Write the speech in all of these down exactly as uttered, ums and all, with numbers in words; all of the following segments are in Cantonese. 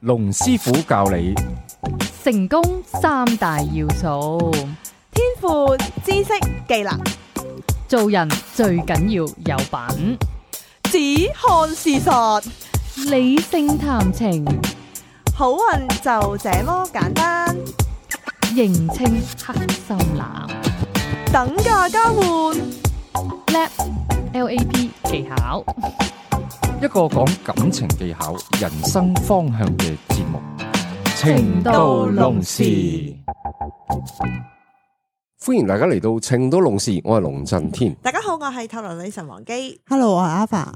龍師傅教你成功三大要素，天賦、知識、技能，做人最緊要有品，只看事實，理性談情，好運就這麼簡單。認清黑心男，等價交換， L A P L A P 技巧，一個講感情技巧、人生方向嘅節目《情到濃時》。歡迎大家嚟到《情到濃時》，我係龍震天。大家好，我係透羅女神王姬。Hello，我係阿發。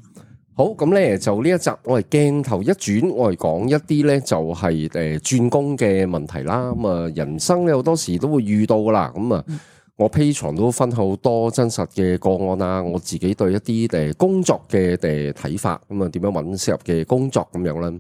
好，咁咧就呢一集我係鏡頭一轉，我係講一啲咧就係誒轉工嘅問題啦。咁啊，人生咧好多時都會遇到噶啦。咁啊，我 Patreon 都分好多真實嘅個案啊，我自己對一啲誒工作嘅誒睇法，咁啊點樣揾適合嘅工作咁樣啦。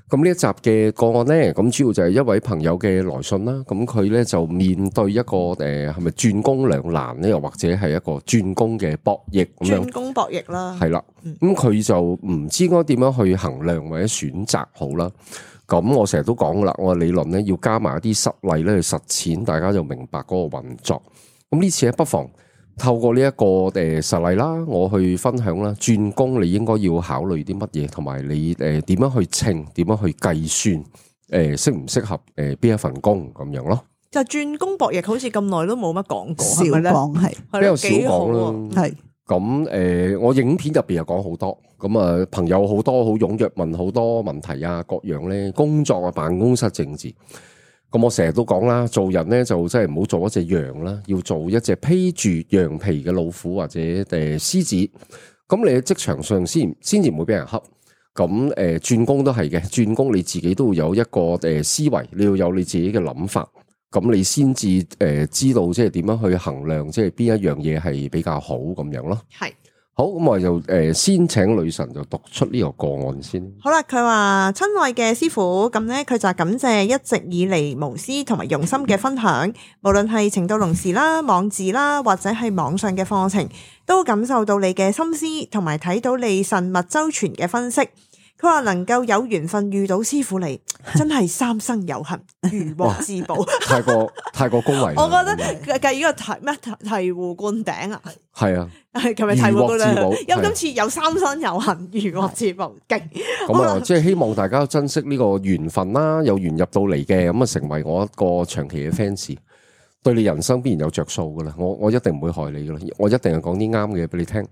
咁呢一集嘅個案咧，咁主要就係一位朋友嘅來信啦。咁佢咧就面對一個誒係咪轉工兩難咧，又或者係一個轉工嘅博弈咁樣。轉工博弈啦，係啦。咁佢就唔知應該點樣去衡量或者選擇好啦。咁我成日都講噶啦，我嘅理論咧要加埋一啲實例咧去實踐，大家就明白嗰個運作。咁呢次咧不妨透過呢一個誒實例啦，我去分享啦，轉工你應該要考慮啲乜嘢，同埋你誒點樣去稱，點樣去計算，誒適唔適合誒邊一份工咁樣咯。就轉工博弈好似咁耐都冇乜講過，少係咪咧？講係係比較少幾好講喎啦。係咁誒、呃，我影片入邊又講好多，咁啊朋友好多好踴躍問好多問題啊，各樣咧工作啊、辦公室政治。咁我成日都講啦，做人咧就真係唔好做一隻羊啦，要做一隻披住羊皮嘅老虎或者誒獅子。咁你喺職場上先先至唔會俾人恰。咁誒轉工都係嘅，轉工你自己都要有一個誒思維，你要有你自己嘅諗法，咁你先至誒知道即係點樣去衡量，即係邊一樣嘢係比較好咁樣咯。係。好，咁我就誒先請女神就讀出呢個個案先。好啦，佢話親愛嘅師傅，咁咧佢就感謝一直以嚟無私同埋用心嘅分享，無論係情到濃時啦、網誌啦，或者係網上嘅課程，都感受到你嘅心思，同埋睇到你慎密周全嘅分析。佢話能夠有緣分遇到師傅你，真係三生有幸，如獲至寶。太過太過恭維啦。我覺得計呢個題咩醍醐灌頂啊！係啊，係琴日醍醐灌頂，因為係今次有三生有幸，如獲至寶，勁。咁啊，即係希望大家珍惜呢個緣分啦，有緣入到嚟嘅，咁啊成為我一個長期嘅 fans，對你人生必然有着數噶啦。我我一定唔會害你噶啦，我一定係講啲啱嘅嘢俾你聽。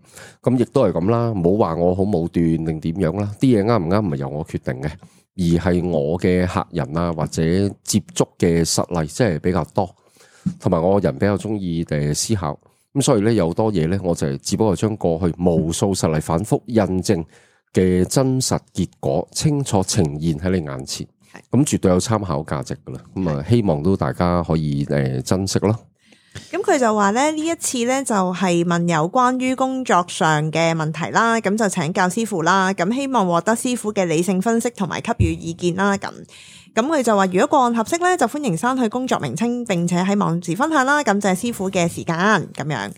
咁亦都係咁啦，唔好話我好武斷定點樣啦。啲嘢啱唔啱唔係由我決定嘅，而係我嘅客人啊或者接觸嘅實例，即係比較多，同埋我人比較中意誒思考。咁所以咧有好多嘢咧，我就係只不過將過去無數實例反覆印證嘅真實結果清楚呈現喺你眼前，咁絕對有參考價值噶啦。咁啊，希望都大家可以誒珍惜咯。咁佢就話咧呢一次咧就係問有關於工作上嘅問題啦，咁就請教師傅啦，咁希望獲得師傅嘅理性分析同埋給予意見啦。咁咁佢就話如果個案合適咧，就歡迎刪去工作名稱，並且喺網誌分享啦。感謝師傅嘅時間咁樣。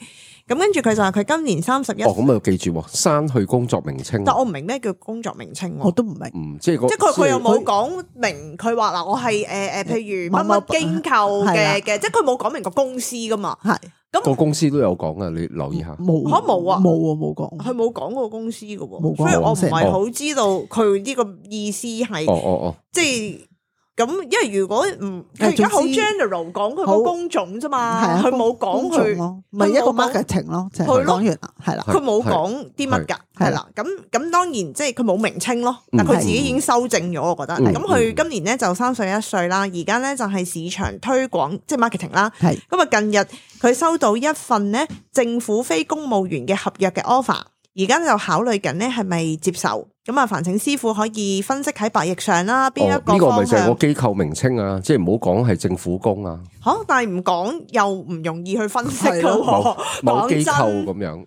咁跟住佢就話佢今年三十一。哦，咁啊記住刪去工作名稱。但我唔明咩叫工作名稱，我都唔明。嗯，即係個即係佢佢又冇講明，佢話嗱我係誒誒，譬如乜乜機構嘅嘅，即係佢冇講明個公司噶嘛。係咁個公司都有講啊，你留意下。冇嚇冇啊，冇啊冇講，佢冇講過公司噶喎，冇講所以我唔係哦好知道佢呢個意思係哦哦哦，即係。咁，因為如果唔佢而家好 general 講佢個工種啫嘛，佢冇講佢咯，咪一個 marketing 咯，就係講完啦，係啦，佢冇講啲乜㗎，係啦。咁咁當然即係佢冇名稱咯，但佢自己已經修正咗，我覺得。咁佢今年咧就三十一歲啦，而家咧就係市場推廣即係 marketing 啦。係咁啊，近日佢收到一份咧政府非公務員嘅合約嘅 offer，而家就考慮緊咧係咪接受。咁啊，煩請師傅可以分析喺百億上啦，邊一個方向？呢個咪就係個機構名稱啊，即係唔好講係政府工啊。吓，但係唔講又唔容易去分析噶喎。某某機構咁樣，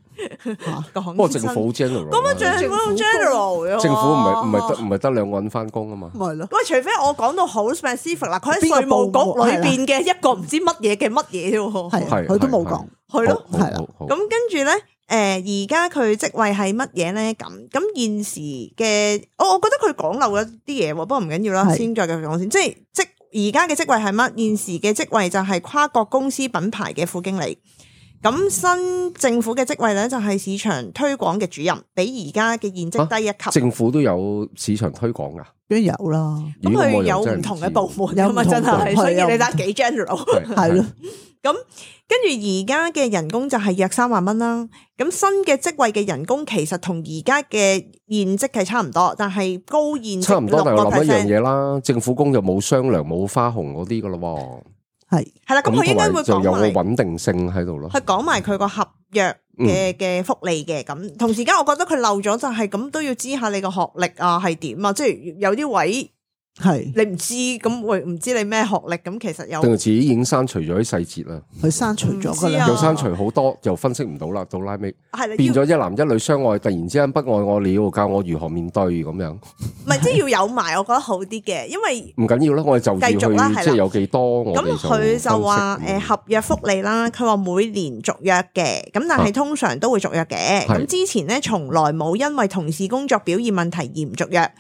講不過政府 general 咁啊，政府 general，政府唔係唔係得唔係得兩個人翻工啊嘛。咪咯。喂，除非我講到好 specific 啦，佢喺稅務局裏邊嘅一個唔知乜嘢嘅乜嘢啫喎。係，佢都冇講。係咯，係啦。咁跟住咧。而家佢職位係乜嘢咧？咁咁現時嘅，我我覺得佢講漏咗啲嘢喎，不過唔緊要啦，先再繼續講先。即係即而家嘅職位係乜？現時嘅職位就係跨國公司品牌嘅副經理。咁新政府嘅職位咧就係市場推廣嘅主任，比而家嘅現職低一級。啊、政府都有市場推廣噶，邊有啦？咁佢有唔同嘅部門噶嘛，真係，所以你得幾 general 係咯。咁跟住而家嘅人工就係約三萬蚊啦。咁新嘅職位嘅人工其實同而家嘅現職係差唔多，但係高現職差唔多，但係諗一樣嘢啦，政府工就冇雙糧冇花紅嗰啲噶咯。係係啦，咁佢應該會講埋就有個穩定性喺度咯。佢講埋佢個合約嘅嘅福利嘅，咁、嗯、同時間我覺得佢漏咗就係咁都要知下你個學歷啊係點啊，即係有啲位係你唔知咁會唔知你咩學歷，咁其實有定係自己已經刪除咗啲細節啦。佢刪除咗噶啦，又刪除好多，又分析唔到啦，到拉尾係變咗一男一女相愛，突然之間不愛我了，教我如何面對咁樣。唔係，即係要有埋，我覺得好啲嘅，因為唔緊要啦，我哋就繼續啦，即係有幾多我哋就咁佢就話誒合約福利啦，佢話每年續約嘅，咁但係通常都會續約嘅。咁、啊、之前咧從來冇因為同事工作表現問題而唔續約。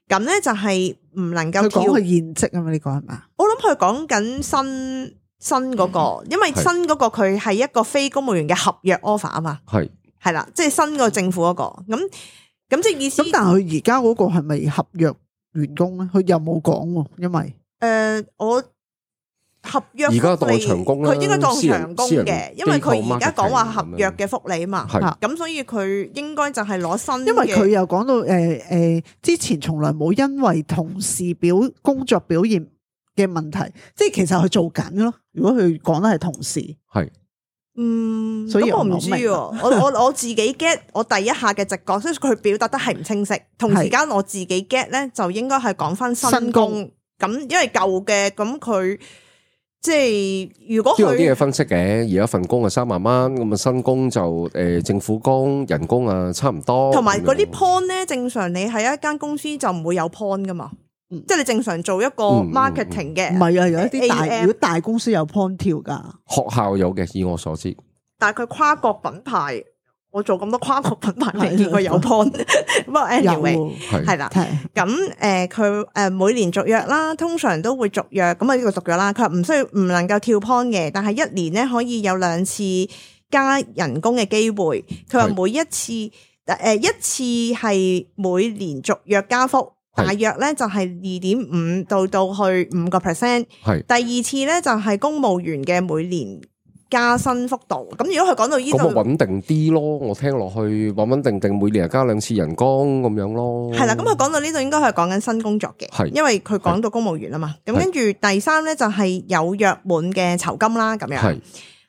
咁咧就係唔能夠跳。佢講佢現職啊嘛？呢個係咪？我諗佢講緊新新嗰個，因為新嗰個佢係一個非公務員嘅合約 offer 啊嘛。係係啦，即係新個政府嗰個。咁咁即係意思。咁但係佢而家嗰個係咪合約員工咧？佢又冇講喎，因為誒我合約而家當長工啦，佢應該當長工嘅，因為佢而家講話合約嘅福利啊嘛。咁所以佢應該就係攞新嘅。因為佢又講到誒誒、呃，之前從來冇因為同事表工作表現嘅問題，即係其實佢做緊咯。如果佢講得係同事，係嗯，所以我唔知喎。我我我自己 get 我第一下嘅直覺，所以佢表達得係唔清晰。同時間我自己 get 咧，就應該係講翻新工咁，因為舊嘅咁佢。即係如果都有啲嘢分析嘅，而家份工係三萬蚊，咁啊新工就誒、呃、政府工人工啊差唔多。同埋嗰啲 point 咧，正常你喺一間公司就唔會有 point 噶嘛，嗯、即係你正常做一個 marketing 嘅。唔係啊，有一啲大如果大公司有 point 跳噶，學校有嘅，以我所知。但係佢跨國品牌。我做咁多跨國品牌未見過有 point，不過 anyway 係啦，咁誒佢誒每年續約啦，通常都會續約，咁啊呢個續約啦，佢話唔需要唔能夠跳 point 嘅，但係一年咧可以有兩次加人工嘅機會。佢話每一次誒、呃、一次係每年續約加幅，大約咧就係二點五到到去五個 percent。係第二次咧就係公務員嘅每年加薪幅度，咁如果佢講到呢度，咁啊穩定啲咯，我聽落去穩穩定定，每年加兩次人工咁樣咯。係啦，咁佢講到呢度應該係講緊新工作嘅，係因為佢講到公務員啊嘛。咁跟住第三咧就係有約滿嘅酬金啦，咁樣係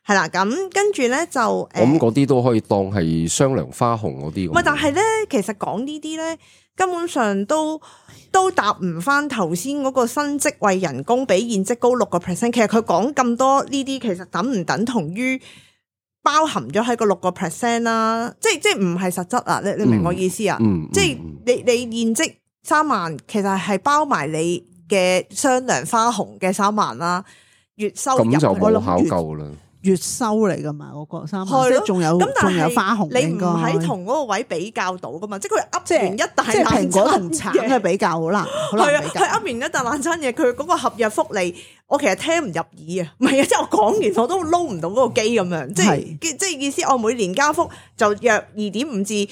係啦。咁跟住咧就誒，咁嗰啲都可以當係雙糧花紅嗰啲。唔係，但係咧，其實講呢啲咧，根本上都。都答唔翻頭先嗰個新職位人工比現職高六個 percent， 其實佢講咁多呢啲，其實等唔等同於包含咗喺個六個 percent 啦？即係即係唔係實質啊？你你明我意思啊？嗯嗯、即係你你現職三萬，其實係包埋你嘅雙糧花紅嘅三萬啦，月收入咁就冇考究啦。月收嚟噶嘛，嗰個三萬，即係仲有仲有花紅。你唔喺同嗰個位比較到噶嘛？即係佢噏完一大即係蘋果同橙嘅比較好難，好難比較。佢噏完一大爛餐嘢，佢嗰個合約福利，我其實聽唔入耳啊！唔係啊，即係我講完我都撈唔到嗰個機咁樣，即係即係意思，我每年加幅就約二點五至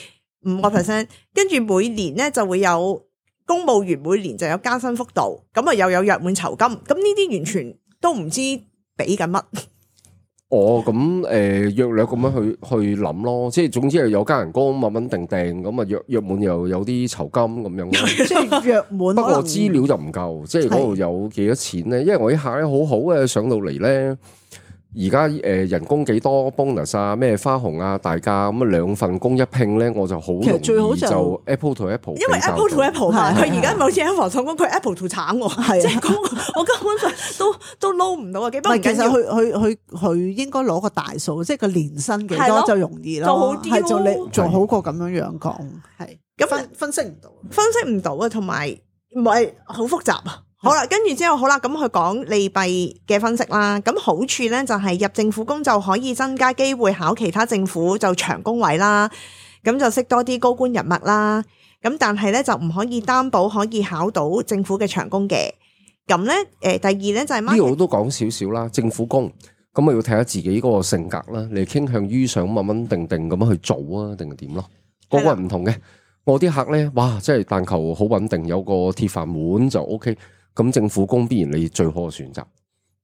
五個 percent， 跟住每年咧就會有公務員每年就有加薪幅度，咁啊又有約滿酬金，咁呢啲完全都唔知俾緊乜。哦，咁誒、呃、約略咁樣去去諗咯，即係總之係有加人工穩穩定定，咁啊約約滿又有啲酬金咁樣咯，即係約滿。不過資料就唔夠，即係嗰度有幾多錢咧？因為我一下咧好好嘅上到嚟咧。而家誒人工幾多 bonus 啊，咩花紅啊，大家咁啊兩份工一拼咧，我就好容易就 Apple to Apple，因為 Apple to Apple 嘛，佢而家冇似 Apple 上工，佢 Apple to 橙喎，係即係嗰個我根本上都都撈唔到啊！幾不過其實佢佢佢佢應該攞個大數，即係個年薪幾多就容易咯，就好啲咯，係做你做好過咁樣樣講，係咁分分析唔到，分析唔到啊，同埋唔係好複雜啊。好啦，跟住之後好啦，咁佢講利弊嘅分析啦。咁好處咧就係入政府工就可以增加機會考其他政府就長工位啦，咁就識多啲高官人脈啦。咁但係咧就唔可以擔保可以考到政府嘅長工嘅。咁咧誒，第二咧就係呢度都講少少啦，政府工咁啊要睇下自己嗰個性格啦，你傾向於想穩穩定定咁樣去做啊，定係點咯？個個人唔同嘅。我啲客咧，哇，即係但求好穩定，有個鐵飯碗就 O K。咁政府工必然你最好嘅選擇。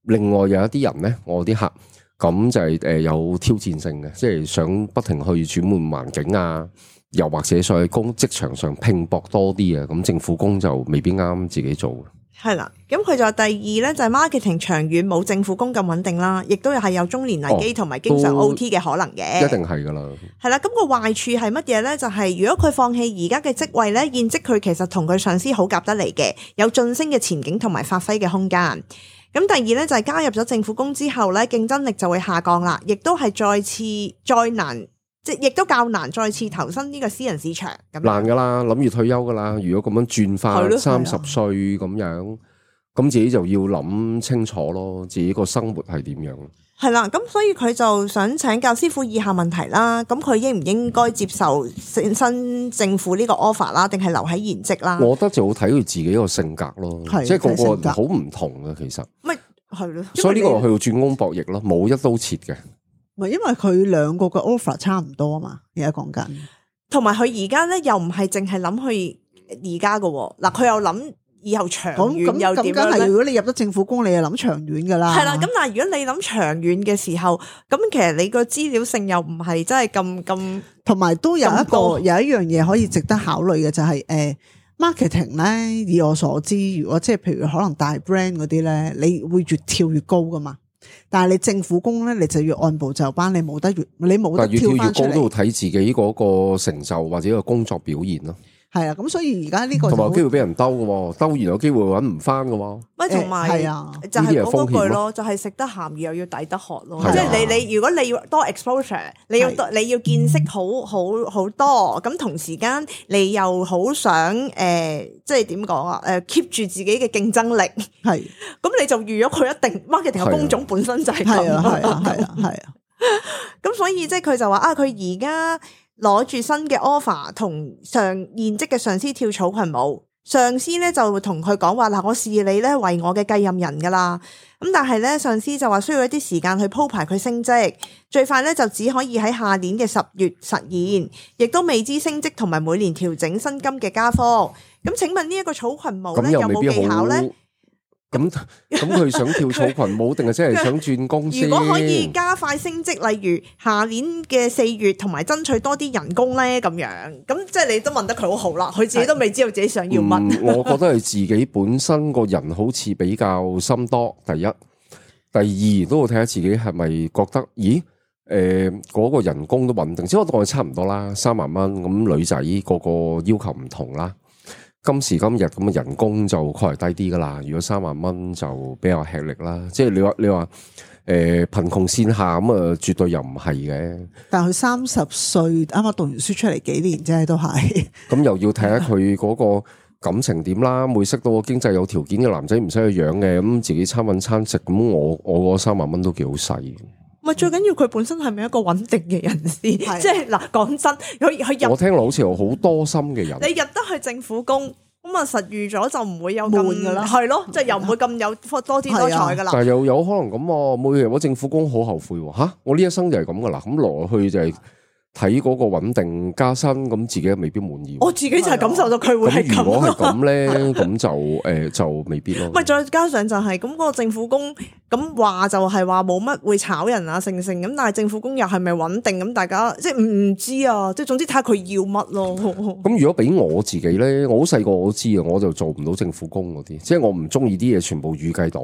另外有一啲人咧，我啲客咁就係誒有挑戰性嘅，即係想不停去轉換環境啊，又或者在工職場上拼搏多啲啊。咁政府工就未必啱自己做。係啦，咁佢就第二咧就係 marketing 長遠冇政府工咁穩定啦，亦都係有中年危機同埋經常 O T 嘅可能嘅。一定係噶啦。係啦，咁個壞處係乜嘢咧？就係、是、如果佢放棄而家嘅職位咧，現職佢其實同佢上司好夾得嚟嘅，有晉升嘅前景同埋發揮嘅空間。咁第二咧就係加入咗政府工之後咧，競爭力就會下降啦，亦都係再次再難。即係亦都較難再次投身呢個私人市場咁難噶啦，諗住退休噶啦。如果咁樣轉化三十歲咁樣，咁自己就要諗清楚咯，自己個生活係點樣。係啦，咁所以佢就想請教師傅以下問題啦。咁佢應唔應該接受新政府呢個 offer 啦，定係留喺現職啦？我覺得就好睇佢自己個性格咯，即係個個人好唔同嘅其實。咪係咯，所以呢個去到轉工博弈咯，冇一刀切嘅。唔係因為佢兩個嘅 offer 差唔多啊嘛，而家講緊，同埋佢而家咧又唔係淨係諗去而家嘅喎，嗱佢又諗以後長遠又點樣咧？咁梗係如果你入咗政府工，你就諗長遠噶啦。係啦，咁但係如果你諗長遠嘅時候，咁其實你個資料性又唔係真係咁咁，同埋都有一個有一樣嘢可以值得考慮嘅就係、是、誒、呃、marketing 咧。以我所知，如果即係譬如可能大 brand 嗰啲咧，你會越跳越高噶嘛。但係你政府工咧，你就要按部就班，你冇得越，你冇得跳翻出嚟。越跳越高都要睇自己嗰個成就或者個工作表現咯。係啊，咁所以而家呢個同埋有機會俾人兜嘅，兜完有機會搵唔翻嘅。喂，同埋係啊，就係嗰句咯，就係食得鹹魚又要抵得渴咯。即係你你如果你要多 exposure， 你要你要見識好好好多，咁同時間你又好想誒，即係點講啊？誒 keep 住自己嘅競爭力，係咁你就預咗佢一定 marketing 嘅工種本身就係咁。係啊，係啊，係啊，係啊。咁所以即係佢就話啊，佢而家攞住新嘅 offer 同上現職嘅上司跳草裙舞，上司咧就同佢講話嗱，我視你咧為我嘅繼任人噶啦。咁但係咧上司就話需要一啲時間去鋪排佢升職，最快咧就只可以喺下年嘅十月實現，亦都未知升職同埋每年調整薪金嘅加幅。咁請問呢一個草裙舞咧有冇技巧咧？咁咁佢想跳草裙舞定係真係想轉工先？如果可以加快升職，例如下年嘅四月，同埋爭取多啲人工咧，咁樣咁即係你都問得佢好好啦。佢自己都未知道自己想要乜、嗯。我覺得係自己本身個人好似比較心多。第一，第二都要睇下自己係咪覺得，咦？誒、呃，嗰、那個人工都穩定，即係我當佢差唔多啦，三萬蚊。咁女仔個個要求唔同啦。今時今日咁嘅人工就確係低啲噶啦，如果三萬蚊就比較吃力啦。即係你話你話誒貧窮線下咁啊，絕對又唔係嘅。但係佢三十歲啱啱讀完書出嚟幾年啫，都係。咁又要睇下佢嗰個感情點啦。會識到個經濟有條件嘅男仔唔使去養嘅，咁自己餐搵餐食，咁我我嗰三萬蚊都幾好使。唔係最緊要佢本身係咪一個穩定嘅人士？即係嗱，講真，佢佢入我聽落好似有好多心嘅人。你入得去政府工，咁啊實預咗就唔會有咁噶啦，係咯，即係又唔會咁有多姿多彩噶啦。但係又有可能咁，每日我政府工好後悔吓，我呢一生就係咁噶啦，咁落去就係睇嗰個穩定加薪，咁自己未必滿意。我自己就係感受到佢會係咁。如果係咁咧，咁就誒、呃、就未必咯。唔係再加上就係咁嗰個政府工咁話就係話冇乜會炒人啊，成成咁，但係政府工又係咪穩定咁？大家即係唔唔知啊，即係總之睇下佢要乜咯。咁如果俾我自己咧，我好細個我都知啊，我就做唔到政府工嗰啲，即係我唔中意啲嘢全部預計到。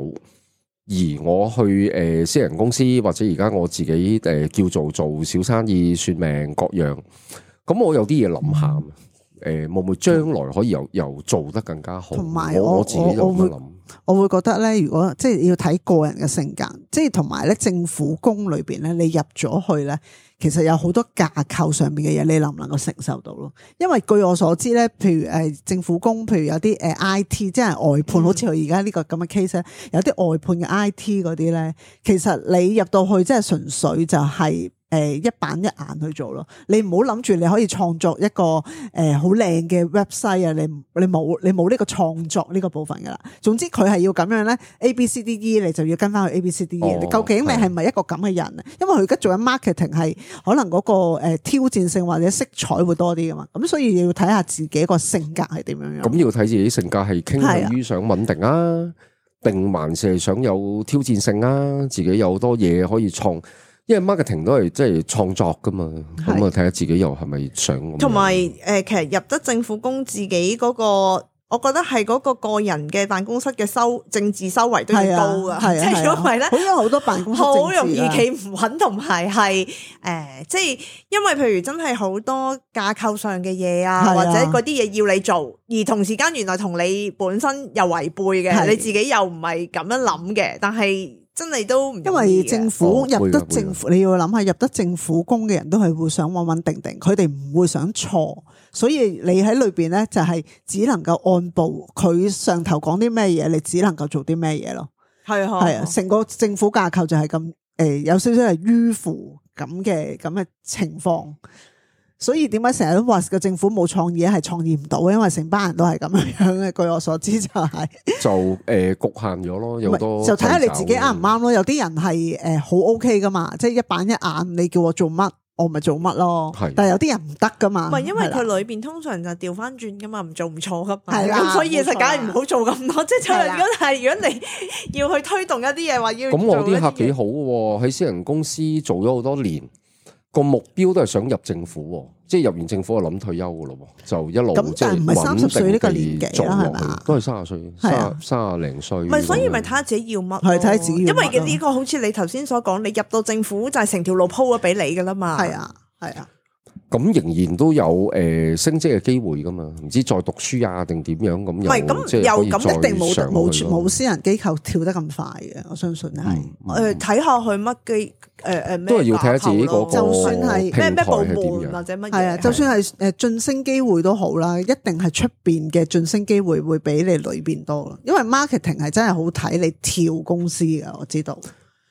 而我去誒、呃、私人公司或者而家我自己誒、呃、叫做做小生意算命各樣，咁我有啲嘢諗下，誒會唔會將來可以又又做得更加好？同埋我我我自己就咁樣諗。我會覺得咧，如果即係要睇個人嘅性格，即係同埋咧政府工裏邊咧，你入咗去咧，其實有好多架構上面嘅嘢，你能唔能夠承受到咯？因為據我所知咧，譬如誒政府工，譬如有啲誒 I T，即係外判，嗯、好似佢而家呢個咁嘅 case 咧，有啲外判嘅 I T 嗰啲咧，其實你入到去即係純粹就係誒一板一眼去做咯。你唔好諗住你可以創作一個誒好靚嘅 website 啊，你你冇你冇呢個創作呢個部分噶啦。總之佢係要咁樣咧 ，A B C D E 你就要跟翻去 A B C D E。哦、究竟你係咪一個咁嘅人啊？因為佢而家做緊 marketing 係可能嗰個誒挑戰性或者色彩會多啲噶嘛。咁所以要睇下自己個性格係點樣樣。咁要睇自己性格係傾向於想穩定啊，定還是係想有挑戰性啊？自己有好多嘢可以創。因為 marketing 都係即係創作噶嘛，咁啊睇下自己又係咪想。同埋誒，其實入得政府工，自己嗰個，我覺得係嗰個個人嘅辦公室嘅收政治修為都要高噶，即係如果唔係咧，好多好多辦公室好容易企唔穩，同埋係誒，即係因為譬如真係好多架構上嘅嘢啊，或者嗰啲嘢要你做，而同時間原來同你本身又違背嘅，你自己又唔係咁樣諗嘅，但係。真係都唔，因為政府入得政府，你要諗下入得政府工嘅人都係會想穩穩定定，佢哋唔會想錯，所以你喺裏邊咧就係只能夠按部佢上頭講啲咩嘢，你只能夠做啲咩嘢咯。係啊，係啊，成個政府架構就係咁誒，有少少係迂腐咁嘅咁嘅情況。所以點解成日都話個政府冇創意係創意唔到，因為成班人都係咁樣樣嘅。據我所知就係、是、就誒、呃、局限咗咯，有好多就睇下你自己啱唔啱咯。有啲人係誒好 OK 噶嘛，即係一板一眼，你叫我做乜我咪做乜咯。是但係有啲人唔得噶嘛，唔係因為佢裏邊通常就調翻轉噶嘛，唔做唔錯噶嘛。係啦，咁所以就梗係唔好做咁多。即係如果係如果你要去推動一啲嘢話要咁，我啲客幾好喎，喺私人公司做咗好多年。個目標都係想入政府，即係入完政府就諗退休噶咯，就一路即係穩定地做落去，都係三十歲，三三十零歲。唔係，所以咪睇下自己要乜，係睇下自己要乜。因為呢個好似你頭先所講，你入到政府就係成條路鋪咗俾你噶啦嘛。係啊，係啊。咁仍然都有誒升職嘅機會噶嘛？唔知再讀書啊定點樣咁？唔係咁又咁一定冇冇冇私人機構跳得咁快嘅，我相信係誒睇下佢乜機誒誒咩，都係要睇下自己嗰個就算係咩咩部門或者乜嘢，係啊，就算係誒晉升機會都好啦，一定係出邊嘅晉升機會會比你裏邊多，因為 marketing 係真係好睇你跳公司噶，我知道。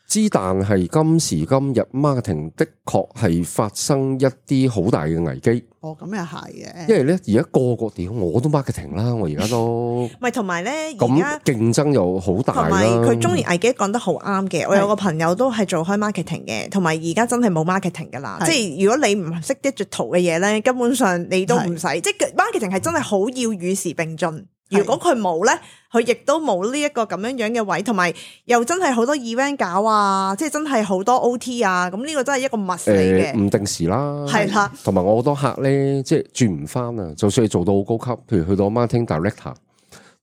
之但係今時今日 marketing 的確係發生一啲好大嘅危機。哦，咁又係嘅。因為咧而家個個屌我都 marketing 啦，我而家都唔係同埋咧，而家競爭又好大啦。同埋佢中年危機講得好啱嘅，我有個朋友都係做開 marketing 嘅，同埋而家真係冇 marketing 噶啦。即係如果你唔識 digital 嘅嘢咧，根本上你都唔使。即係 marketing 係真係好要與時並進。如果佢冇咧，佢亦都冇呢一個咁樣樣嘅位，同埋又真係好多 event 搞啊，即係真係好多 O T 啊，咁呢個真係一個密嚟嘅。誒，唔定時啦，係啦，同埋我好多客咧，即係轉唔翻啊！就算你做到好高級，譬如去到 marketing director，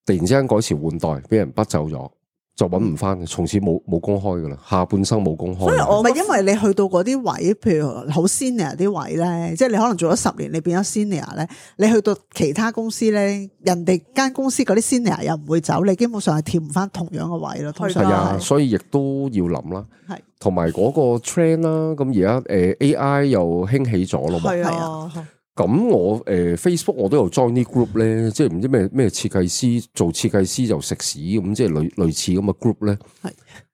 突然之間改朝換代，俾人bắt走咗。就揾唔翻嘅，從此冇冇公開噶啦，下半生冇公開。所以我唔係因為你去到嗰啲位，譬如好 senior 啲位咧，即係你可能做咗十年，你變咗 senior 咧，你去到其他公司咧，人哋間公司嗰啲 senior 又唔會走，你基本上係跳唔翻同樣嘅位咯。係啊，所以亦都要諗啦。係，同埋嗰個 trend 啦，咁而家誒 A I 又興起咗咯嘛。係啊。咁我誒、呃、Facebook 我都有 join 啲 group 咧，即係唔知咩咩設計師做設計師就食屎咁，即係類類似咁嘅 group 咧。係，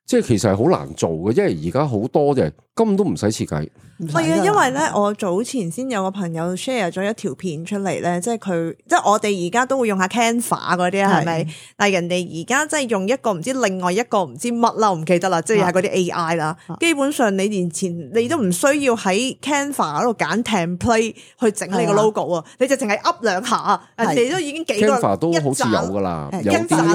即係其實係好難做嘅，因為而家好多嘅根本都唔使設計。係啊，因為咧，我早前先有個朋友 share 咗一條片出嚟咧，即係佢，即係我哋而家都會用下 Canva 嗰啲係咪？但係人哋而家即係用一個唔知另外一個唔知乜啦，我唔記得啦，即係係嗰啲 A I 啦。基本上你連前你都唔需要喺 Canva 嗰度揀 template 去整你個 logo 啊，你就淨係 up 兩下，你都已經幾個 Canva 都好似有噶啦，有啲好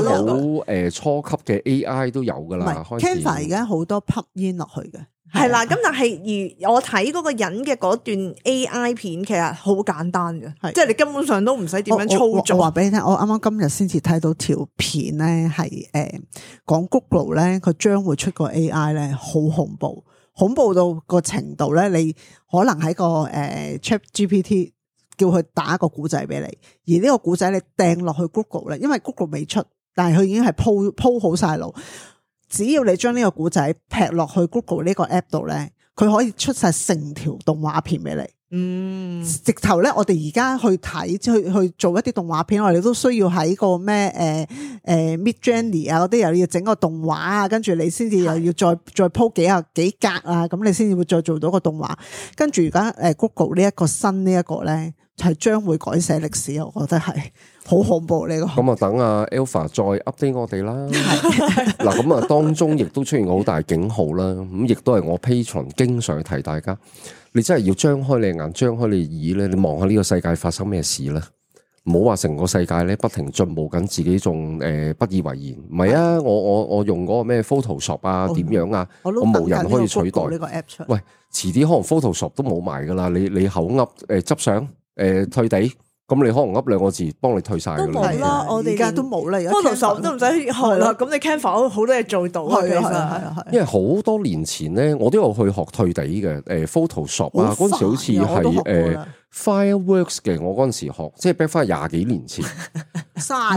誒初級嘅 A I 都有噶啦。Canva 而家好多 plug in 落去嘅。係啦，咁但係而我睇嗰個人嘅嗰段 A I 片，其實好簡單嘅，即係你根本上都唔使點樣操作。我話俾你聽，我啱啱今日先至睇到條片咧，係誒講 Google 咧，佢將會出個 A I 咧，好恐怖，恐怖到個程度咧，你可能喺個誒 Chat G P T 叫佢打一個古仔俾你，而呢個古仔你掟落去 Google 咧，因為 Google 未出，但係佢已經係鋪鋪好晒路。只要你將呢個古仔劈落去 Google 呢個 app 度咧，佢可以出晒成條動畫片俾你。嗯，直頭咧，我哋而家去睇，去去做一啲動畫片，我哋都需要喺個咩誒誒 Midjourney 啊嗰啲，又要整個動畫啊，跟住你先至又要再再鋪幾啊幾格啊，咁你先至會再做到個動畫。跟住而家誒 Google 呢一個新呢一個咧，係將會改寫歷史，我覺得係好恐怖呢個。咁啊，等阿 Alpha 再 update 我哋啦。嗱，咁啊，當中亦都出現好大警號啦。咁亦都係我 Patreon 經常提大家。你真係要張開你眼，張開你耳咧，你望下呢個世界發生咩事啦？唔好話成個世界咧不停進步緊，自己仲誒不以為然。唔係啊，我我我用嗰個咩 Photoshop 啊，點樣啊，我冇人可以取代呢個 app 出。喂，遲啲可能 Photoshop 都冇埋噶啦。你你口噏誒執相誒退地，咁你可能噏兩個字幫你退晒噶啦。都冇啦，我哋而家都冇啦。Photoshop 都唔使學啦。咁你 Canva 好多嘢做到啊，其實。因為好多年前咧，我都有去學退地嘅，誒 Photoshop 啊，嗰陣時好似係誒 Fireworks 嘅，我嗰陣時學，即係 back 翻廿幾年前。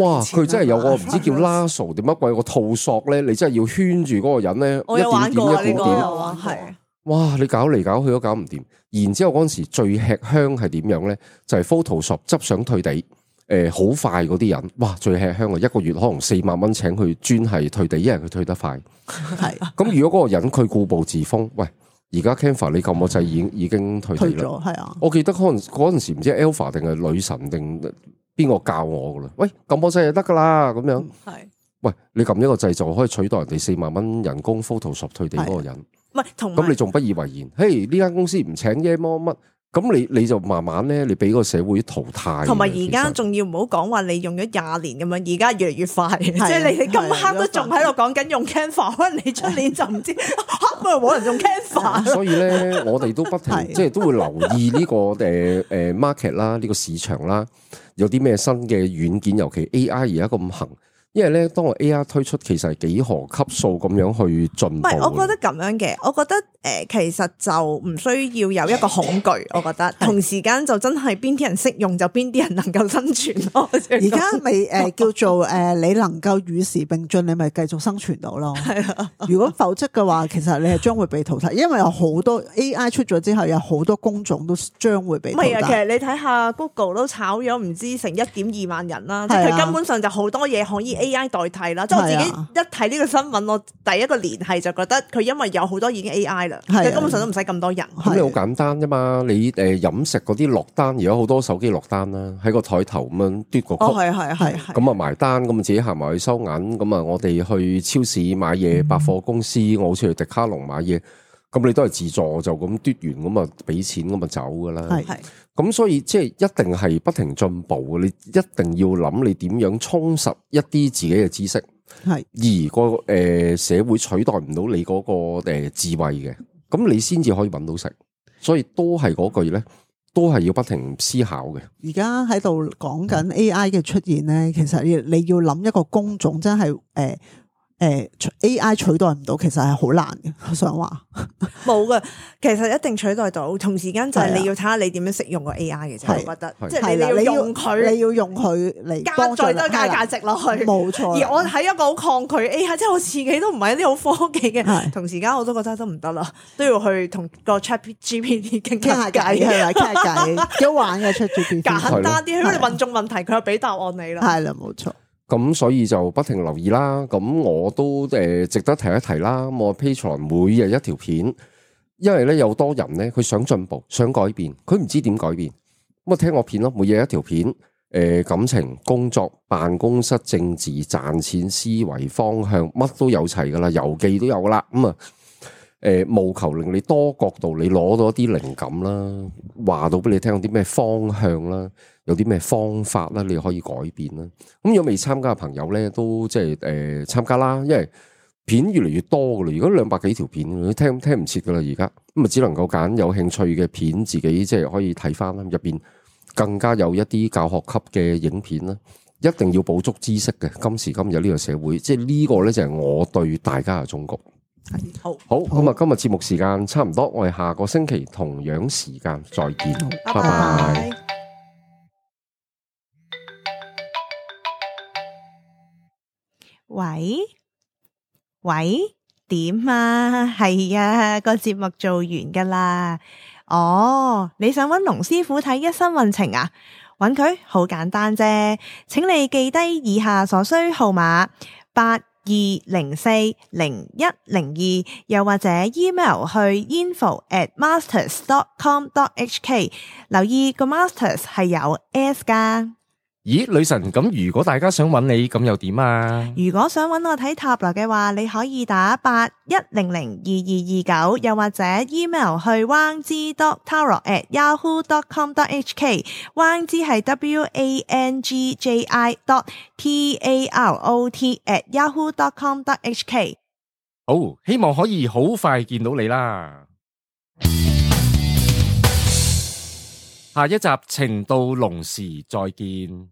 哇！佢真係有個唔知叫 Lasso 點乜鬼個套索咧，你真係要圈住嗰個人咧，我有玩過一點點一點點，係。哇！你搞嚟搞去都搞唔掂。然之後嗰陣時最吃香係點樣咧？就係 Photoshop 執相退地。誒，好、呃、快嗰啲人，哇，最吃香啊！一個月可能四萬蚊請佢專係退地，因為佢退得快。係咁，如果嗰個人佢固步自封，喂，而家 Canva 你撳個掣已經已經退地啦。係啊，我記得可能嗰陣時唔知 Alpha 定係女神定邊個教我噶啦。喂，撳個掣就得噶啦，咁樣。係。喂，你撳一個掣就可以取代人哋四萬蚊人工 Photoshop 退地嗰個人。唔係，同咁你仲不以為然？嘿，呢間公司唔請啫，乜乜。咁你你就慢慢咧，你俾個社會淘汰。同埋而家仲要唔好講話你用咗廿年咁樣，而家越嚟越快，即係你你今刻都仲喺度講緊用 Canva，可能你出年就唔知嚇冇人用 Canva。所以咧，我哋都不停即係都會留意呢個誒誒 market 啦，呢個市場啦，有啲咩新嘅軟件，尤其 A I 而家咁行。因為咧，當個 A I 推出，其實係幾何級數咁樣去進步。唔係，我覺得咁樣嘅，我覺得誒、呃，其實就唔需要有一個恐懼。我覺得同時間就真係邊啲人識用，就邊啲人能夠生存咯。而家咪誒叫做誒、呃，你能夠與時並進，你咪繼續生存到咯。係啊，如果否則嘅話，其實你係將會被淘汰，因為有好多 A I 出咗之後，有好多工種都將會被淘汰。唔係啊，其實你睇下 Google 都炒咗唔知成一點二萬人啦，即係佢根本上就好多嘢可以 A I 代替啦。即係我自己一睇呢個新聞，我第一個聯繫就覺得佢因為有好多已經 A I 啦，佢根本上都唔使咁多人。咁你好簡單啫嘛，你誒飲食嗰啲落單，而家好多手機落單啦，喺個台頭咁樣嘟個曲，係係係，咁啊埋單，咁啊自己行埋去收銀，咁啊我哋去超市買嘢，百貨公司，我好似去迪卡龍買嘢，咁你都係自助就咁嘟完，咁啊俾錢咁啊走噶啦。係係，咁所以即係一定係不停進步嘅，你一定要諗你點樣充實一啲自己嘅知識。係而個誒、呃、社會取代唔到你嗰、那個誒、呃、智慧嘅，咁你先至可以搵到食，所以都係嗰句咧，都係要不停思考嘅。而家喺度講緊 A I 嘅出現咧，其實要你要諗一個工種真係誒。呃誒 A I 取代唔到，其實係好難嘅。我想話冇嘅，其實一定取代到。同時間就係你要睇下你點樣識用個 A I 嘅啫。我覺得即係你要用佢，你要用佢嚟加再多加價值落去。冇錯。而我喺一個好抗拒 A I，即係我自己都唔係一啲好科技嘅。同時間我都覺得都唔得啦，都要去同個 Chat G P T 傾下偈，係啦，傾下偈，幾好玩嘅 Chat G P T。簡單啲，因為你問中問題，佢又俾答案你啦。係啦，冇錯。咁所以就不停留意啦，咁我都誒值得提一提啦。我 Patreon 每日一條片，因為咧有多人咧佢想進步、想改變，佢唔知點改變，咁啊聽我片咯。每日一條片，誒、呃、感情、工作、辦公室、政治、賺錢、思維方向，乜都有齊噶啦，遊記都有噶啦。咁啊誒務求令你多角度，你攞到一啲靈感啦，話到俾你聽有啲咩方向啦。有啲咩方法啦，你可以改變啦。咁如果未參加嘅朋友咧，都即係誒參加啦。因為片越嚟越多噶啦，如果兩百幾條片，你聽聽唔切噶啦。而家咁啊，只能夠揀有興趣嘅片，自己即係可以睇翻啦。入邊更加有一啲教學級嘅影片啦，一定要補足知識嘅。今時今日呢個社會，即係呢個咧就係我對大家嘅忠告。係好好咁啊！今日節目時間差唔多，我哋下個星期同樣時間再見，拜拜。喂喂，點啊？係啊，個節目做完噶啦。哦，你想揾龍師傅睇一生運程啊？揾佢好簡單啫，請你記低以下所需號碼八二零四零一零二，又或者 email 去 info at masters dot com dot h k， 留意個 masters 係有 S 噶。咦，女神，咁如果大家想揾你，咁又點啊？如果想揾我睇塔羅嘅話，你可以打八一零零二二二九，又或者 email 去 wang ji dot tarot at yahoo dot com dot h k。 wang ji 係 w a n g j i dot t a r o t at yahoo dot com dot h k。 好，希望可以好快見到你啦。下一集情到濃時再見。